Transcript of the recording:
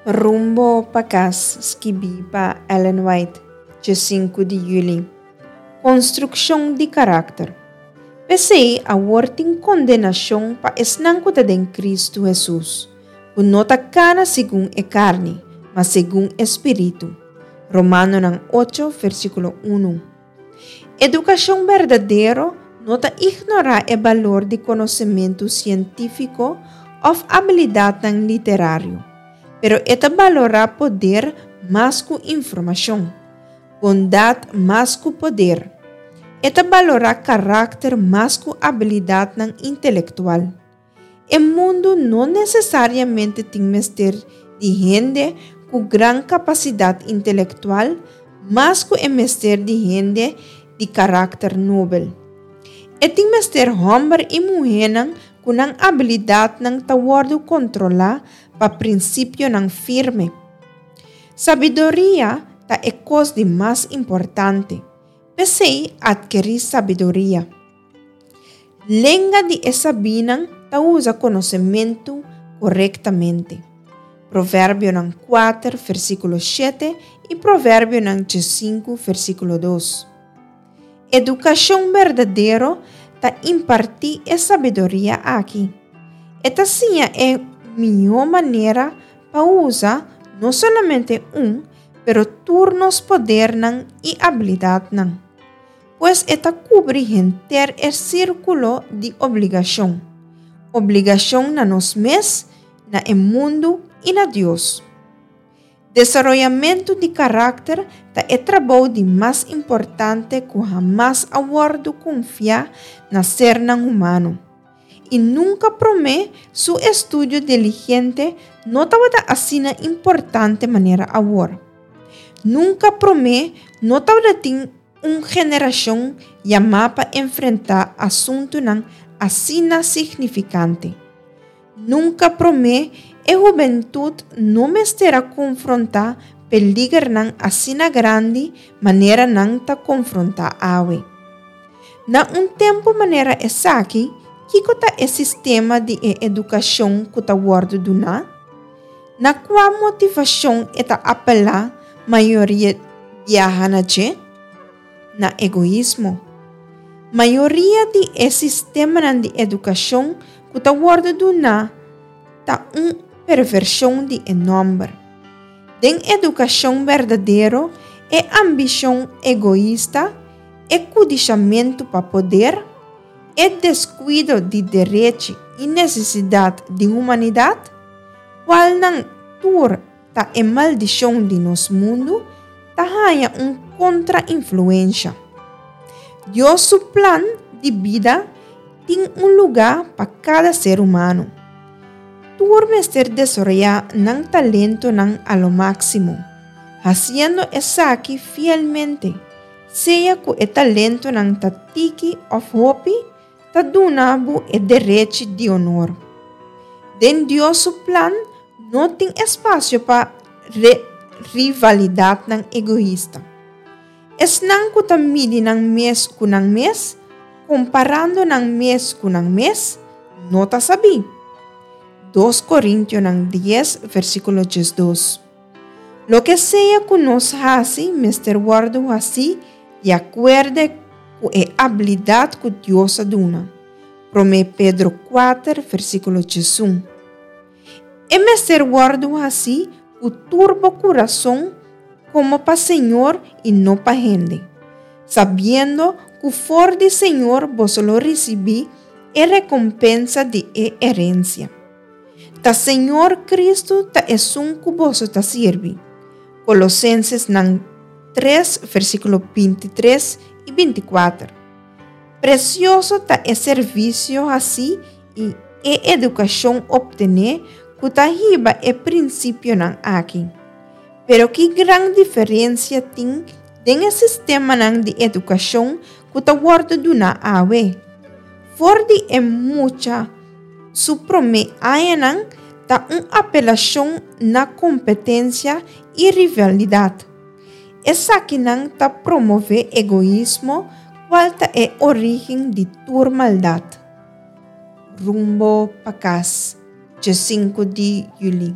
Rumbo pa Kas, skibí pa Ellen White, djesinku di yüli. Konstrukshon di karakter. P'esei awor tin kondenashon pa esnan ku ta den Kristu Hesus, ku no ta kana segun e karni, ma segun e spiritu. Romanonan ocho, versíkulo unu. Edukashon berdadero no ta ignorá e balor di konosementu sientífiko òf abilidatnan literario, pero e ta balorá poder mas ku informashon, bondat mas ku poder. E ta balorá karakter mas ku abilidatnan intelektual. E mundu no nesesariamente tin mester di hende ku gran kapasidat intelektual mas ku e mester di hende di karakter nobel. E tin mester hòmber i muhénan ku nan abilidatnan ta wòrdu kontrolá pa prinsipionan firme. Sabiduria ta e kos di mas importante, p'esei atkerí sabiduria. Lenga di e sabínan ta usa konosementu korektamente. Proverbionan kuater versíkulo shete i Proverbionan diesinku versíkulo dos. Edukashon berdadero ta impartí e sabiduria aki. E ta siña e mihó manera pa usa no solamente un, pero tur nos podernan i abilidatnan. Pues e ta kubri henter e sírkulo di obligashon, obligashon na nos mes, na e mundu i na Dios. Desaroyamentu di karakter ta e trabou di mas importante ku hamas a wòrdu konfiá na sernan humano. I nunka promé su estudio diligente no tabata asina importante manera awor. Nunka promé no tabatin un generashon yamá pa enfrentá asuntunan asina signifikante. Nunka promé e hubentut no mester a konfrontá peligernan asina grandi manera nan ta konfrontá awe. Na un tempu manera esaki, kiko ta e sistema di e edukashon ku ta wòrdu duná? Na kua motivashon e ta apelá mayoria biaha na dje? Na egoismo. Mayoria di e sistemanan di edukashon ku ta wòrdu duná ta un pervershon di e nòmber. Den edukashon berdadero, e ambishon egoista, e kudishamentu pa poder, e deskuido di derechi i nesesidat di humanidat, kualnan tur ta e maldishon di nos mundu, ta haña un kontrainfluensha. Dios su plan di bida tin un lugá pa kada ser humano. Tur mester desaroyá nan talentonan a lo máksimo, hasiendo esaki fielmente. Sea ku e talentonan ta tiki òf hopi, ta duna bo e derechi di onor. Den Dios su plan no tin espasio pa rivalidatnan egoista. Esnan ku ta midi nan mes ku nan mes, komparando nan mes ku nan mes, no ta sabí. Dos Korintionan dies versíkulo diesdos. Loke sea ku nos hasi mester wòrdu hasí di akuerde ku e abilidat ku Dios a duna. Promé Pedro kuater versíkulo diesun. E mester wòrdu hasí ku tur bo kurason komo pa Señor i no pa hende, sabiendo ku for di Señor boso lo risibí e rekompensa di e herensia. Ta Señor Cristo ta esun cu boso ta sirbi. Colosensesnan tres versiculo bintitres y binticuater. Precioso ta e servicio haci y e educacion obtene cu ta hiba e principionan aki. Pero ki gran diferencia tin den e sistemanan di educacion cu ta wordo duna awe. For di e mucha Su promé añanan ta un apelashon na kompetensia i rivalidat. Esakinan ta promové egoismo kual ta e orígen di tur maldat. Rumbo pa kas, djesinku di yüli.